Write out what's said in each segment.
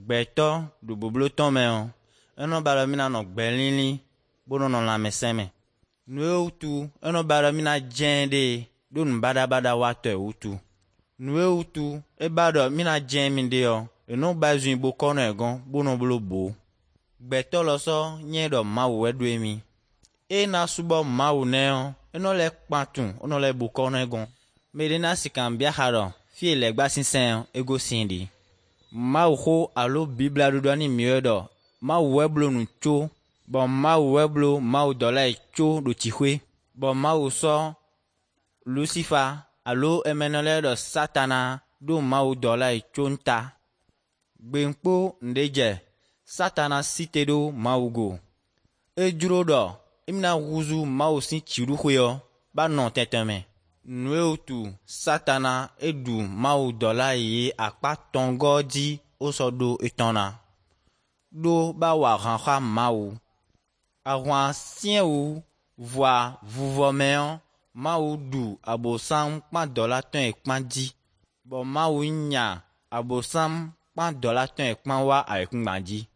Gbɛtɔ ɖo boblotɔ mɛ o. Enɔ ba ɖɔ mi na nɔ gbɛ lili bo nɔ nɔ lãmesẽ me. Nu yewo tu enɔ ba ɖɔ mi na dze ɖe ɖo nu baɖabaɖa woatɔ wutu. Nu yewo tu eba ɖɔ mi na dze mi ɖe yɔ enɔ ba zui bo kɔnɔ ɛgɔn bo nɔ blo bo. Gbɛtɔ lɔ sɔ nye ɖɔ Mawu ɛɖoe mi. Ena subɔ Mawu nɛ yɔ enɔ lɛ kpatun enɔ lɛ bo kɔnɔ ɛgɔn. Meɖe na sika bia xa ɖɔ fie legba sisẽ yɔ ego si ɖi. Mawu xo alo Biblia ɖoɖoa ni miwɔe ɖɔ Mawu ɛblo nu tso bɔn Mawu ɛblo Mawu dɔla yi tso ɖo tsiƒe bɔn Mawu sɔ Lucifer alo emenɔ lɛ ɖɔ Satana ɖo Mawu dɔla yi tso ŋuta. Gbeŋkpo ŋɖe dze Satana si te ɖo Mawu go. Edzro ɖɔ emina huzu Mawu si tsiɖuƒe yɔ ba nɔ tɛtɛme. Nu yewo tu Satana eɖu Mawu dɔla yi akpa tɔngɔ dzi wosɔ ɖo etɔna. Ɖo ba wɔ ahã Mawu. Ahua siẽwu voa vuvɔme yɔ Mawu ɖu Abosam kpa dɔla tɔe kpa dzi. Bɔ Mawu nya Abosam kpa dɔla tɔe kpa wa ayikugba dzi.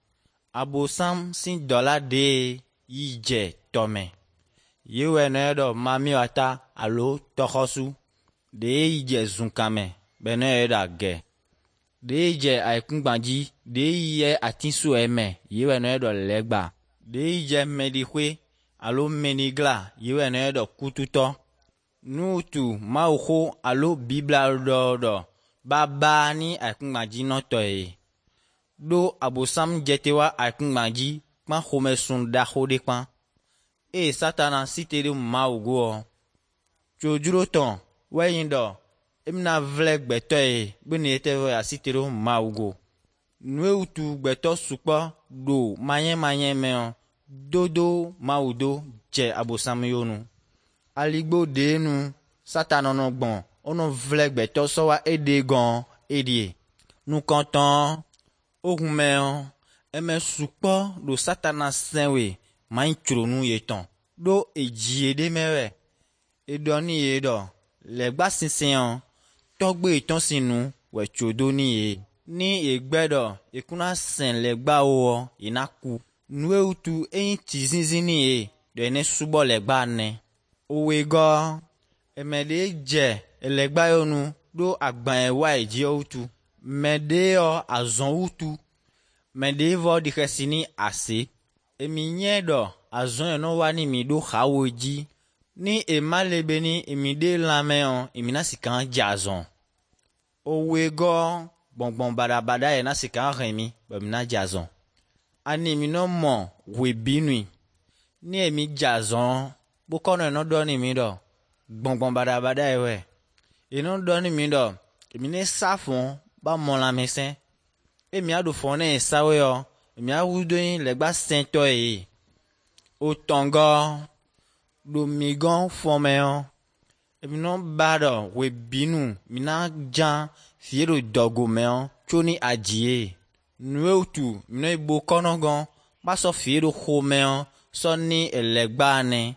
Abosam si dɔla ɖee yi dze tɔme. Yewɔe nɔ ɖɔ mamiwata alo tɔxɔsu. Ɖee yi dze zukame be ne ɖɔ age. Ɖee yi dze ayikugba dzi ɖee yi ye atisue me yewɔe nɔ ɖɔ legba. Ɖee yi dze meɖiƒe alo menigla yewɔe nɔ ɖɔ kututɔ. Nutu Mawu xo alo Biblia ɖɔ ɖɔ baba ni ayikugba dzi nɔtɔ ye. Ɖo Abosam dze te wa ayikugba dzi kpa xɔmesun ɖaxo ɖe kpa. Eye Satana si te ɖe Mawu goɔ. Tsodzro tɔn wɔe ɖɔ emina vlɛ gbɛtɔ ye be ne ete vɔ asi te ɖo Mawu go. Nu tu gbɛtɔ sukpɔ ɖo manyemanye me dodo Mawu do dze Abosam yo nu. Aligbo ɖe nu Satana nɔ gbɔn wonɔ vlɛ gbɛtɔ sɔ wa eɖe gɔn eɖie. Nukɔtɔn ohun mɛ eme sukpɔ ɖo Satana sẽwoe manyi tsronu yetɔn ɖo edzi ɖe mɛ wɛ. Eɖɔ ni ye ɖɔ legba sisẽ yɔ tɔgbe yetɔn si nu wɔ tso do ni ye. Ni egbe ɖɔ ekuna sẽ legbawo yina ku. Nu yewo tu enyi tsi zizi ni ye ɖe ne subɔ legba ne. Owe gɔ eme ɖe dze elegba yɔ nu ɖo agba wa dzi tu. Mɛ ɖe yɔ azɔn wutu. Mɛ ɖe vɔ ɖi xɛsi ni ase. Emi nye ɖɔ azɔn yɔ wa ni mi ɖo xawo dzi. Ni ema le be ni emi ɖe lãme yɔ emi na sika dze azɔn. Owe gɔ gbɔngbɔn baɖabaɖa yɛ na sika hɛn mi be mi na dze azɔn. Ani mi nɔ mɔ hoebinui. Ni emi dze azɔn kpokɔnɔ nɔ ɖɔ ni mi ɖɔ gbɔngbɔn baɖabaɖa yɛ wɛ. Enɔ ɖɔ ni mi ɖɔ emi ne sa fɔn ba mɔ lãmesẽ. Emi aɖo fɔn ne sawo yɔ emi awu do nyi legba sẽtɔ ye. Otɔngɔ ɖo mi gɔn fɔmɛ yɔ emi nɔ ba ɖɔ hoebinu mi na dza fie ɖo dɔgo mɛ yɔ tso ni adzi ye. Nu yewo tu mi nɔ yi bo kɔnɔ gɔn ba sɔ fie ɖo xɔmɛ yɔ sɔ ni elegba ne.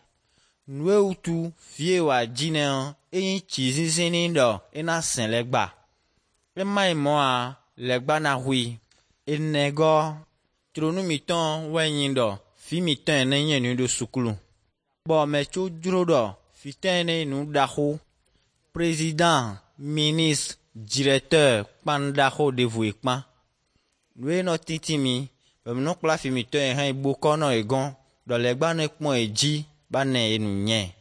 Nu yewo tu fie wòa dzi ne yɔ enyi tsi zizi ni ɖɔ ena sẽ legba. Ema yi mɔa legba na hui. Enegɔ tsronu mitɔn wɔe nyi ɖɔ fi mitɔn ne nye nu ɖo sukulu. Bɔ mɛ tso dzro ɖɔ fitɔn ne nu ɖaxo. Président, ministre, directeur kpan ɖaxo ɖevoe kpa. Nu ye nɔ titi mi be mi nɔ kpla fi mitɔn ye hã yi bo kɔnɔ ye gɔn ɖɔ legba ne kpɔn ye dzi ba ne ye nu nye.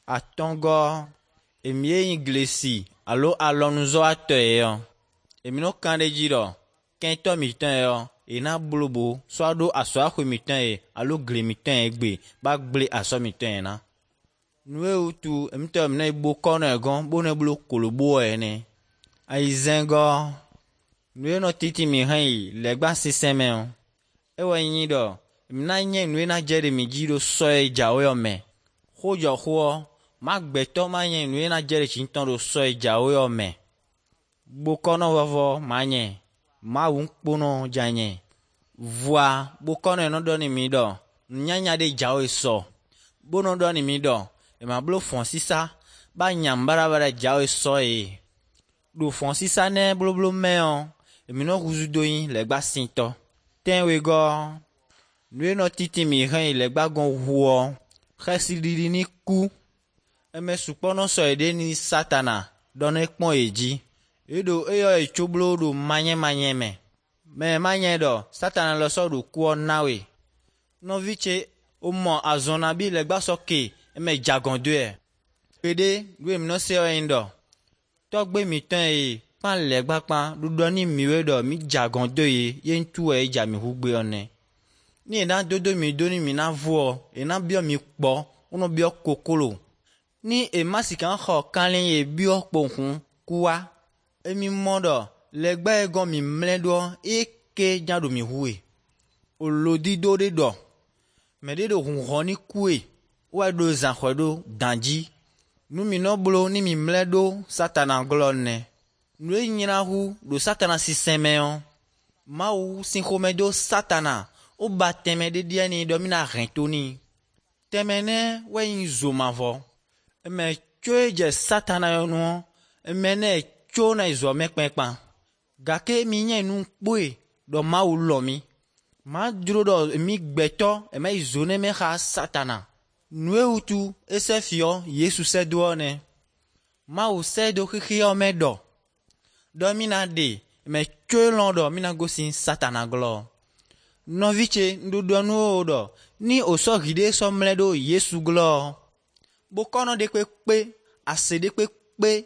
Atɔngɔ emi ye nyi glesi alo alɔnuzɔwatɔ ye yɔ. Emi nɔ kan ɖe dzi ɖɔ kɛntɔ mitɔn ye yɔ yina blobo sɔ ɖo asɔaxɔe mitɔn ye alo gli mitɔn ye gbe ba gblẽ asɔ mitɔn ye na. Nu yewo tu emitɔ mi nɔ yi bo kɔnɔ ye gɔn bo ne blo kolobo ene. Ayizɛngɔ nu ye nɔ titi mi hã yi legba sisẽ mɛ o. Ewɔ nyi ɖɔ emi na nye nu ye na dze ɖe mi dzi ɖo sɔ ye dzawo yɔ mɛ. Xodzɔ xoɔ ma gbɛtɔ ma nye nu ye na dze ɖe tsi ŋutɔ ɖo sɔ ye dzawo yɔ mɛ. Bokɔnɔ vɔvɔ ma nye Mawu ŋkponɔ dza nye. Voa bokɔnɔ yɛ nɔ ɖɔ ni mi ɖɔ nunyanya ɖe dzawo sɔ. Bonɔ ɖɔ ni mi ɖɔ ema blo fɔn sisa ba nya ŋbaɖabaɖa dzawo sɔ ye. Ɖo fɔn sisa ne bloblo mɛ yɔ Emi nɔ huzu do yin legba sintɔ. Tɛnwegɔ nue nɔ titi mi hɛn yi legba gɔn ʋuɔ xɛsi ɖiɖi ni ku. Eme sukpɔ nɔ sɔ yi ɖe ni satana ɖɔ ne kpɔn yi dzi. Eɖo eyɔ yi tsoblo ɖo manyemanye me. Mɛ manye ɖɔ satana lɔ sɔ ɖo kuɔ na woe. Nɔvi tse womɔ azɔna bi legba sɔ ke eme dzagɔn doe. Gbeɖe ɖo emi nɔ se yi ɖɔ tɔgbe mi tɔn ye kpan legba kpan ɖuɖɔ ni miwoe ɖɔ mi dzagɔn do ye ye ŋutu wɔ ye dza mi ʋu gbe ɔnɛ. Ni yina dodo mi do ni mi na voɔ yina biɔ mi kpɔ wonɔ biɔ koklo. Ni ema sika xɔ kalẽ ye biɔ kpohun kuwa emi mɔ ɖɔ legba ye gɔn mi mlɛ ɖoɔ eke dza ɖo mi ʋue. Olodido ɖe ɖɔ mɛ ɖe ɖo huhɔ ni kue woa ɖo zãxɔe ɖo dan dzi. Nu mi nɔ blo ni mi mlɛ ɖo satana glɔ nɛ. Nu ye nyina hu ɖo satana sisẽ mɛ Mawu si xɔme do satana woba tɛmɛ ɖe ɖia ni ɖɔ mi na hɛn to ni. Tɛmɛ nɛ wɔe nyi zomavɔ. Eme tso ye dze satana yɔ nuɔ eme ne tso na yi zɔ mɛ kpɛkpa. Gake mi nye nu kpoe ɖɔ Mawu lɔ mi. Ma dzro ɖɔ mi gbɛtɔ eme yi zo ne me xa satana. Nue wutu ese fiɔ Yesu se doɔ nɛ. Mawu se do xexeɔ me ɖɔ. Ɖɔ mi na ɖe eme tso lɔ ɖɔ mi na gosi satana glɔ. Nɔvi tse ŋɖoɖoa nuwo ɖɔ ni wòsɔ vi ɖe sɔ mlɛ ɖo Yesu glɔ. Bokɔnɔ ɖe kpekpe, ase ɖe kpekpe,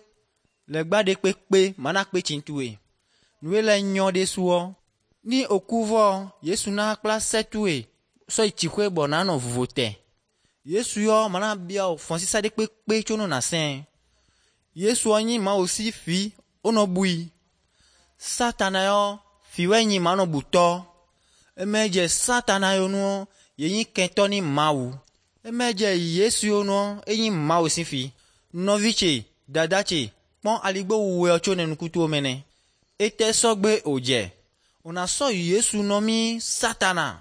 legba ɖe kpekpe mana kpe tsintue. Nue le nyɔ ɖe suɔ. Ni oku vɔ Yesu na kpla sɛtue sɔ yi tsiƒe bɔ nanɔ vovo te. Yesu yɔ mana bia o fɔnsisa ɖe kpekpe tso no na sɛ̃. Yesu nyi Mawu si fi wonɔ bui. Satana yɔ fi wɔ nyi manɔ butɔ. Eme dze satana yɔ nuɔ ye nyi kɛntɔ ni Mawu. Eme dze Yesu yɔ nuɔ enyi Mawu si fi. Nɔvi tse, dada tse, kpɔn aligbo wuwɛ tso ne nukutuwo me nɛ. Ete sɔgbe wòdze. Wòna sɔ Yesu nɔ mi satana.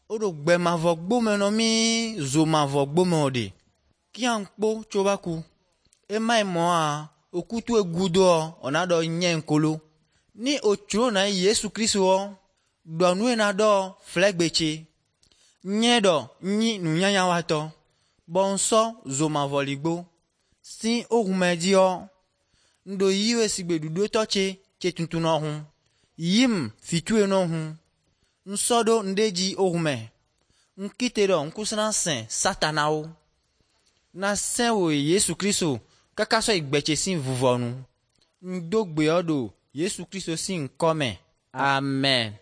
Woɖo gbemavɔ gbome nɔ mi zomavɔ gbome o ɖe. Kia ŋkpo tso va ku. Ema yi mɔa okutu egudoɔ ɔna ɖɔ nye ŋkolo. Ni otsro na Yesu Kristo wɔ ɖɔ nue na ɖɔ flɛgbetse. Nye ɖɔ nyi nunyanya watɔ. Bɔ ŋsɔ zomavɔ ligbo. Si ohume dziɔ ŋɖo yiwe sigbe ɖuɖotɔ tse tse tuntun nɔ hu. Yim fitue nɔ hu. Ŋsɔ ɖo ŋɖe dzi ohume. Ŋkite ɖɔ ŋkusena sẽ satanawo. Na sẽ wo Yesu Kristo kaka sɔ yi gbɛtse si vuvɔ nu. Ŋdo gbeɔ ɖo Yesu Kristo si ŋkɔme. Amen.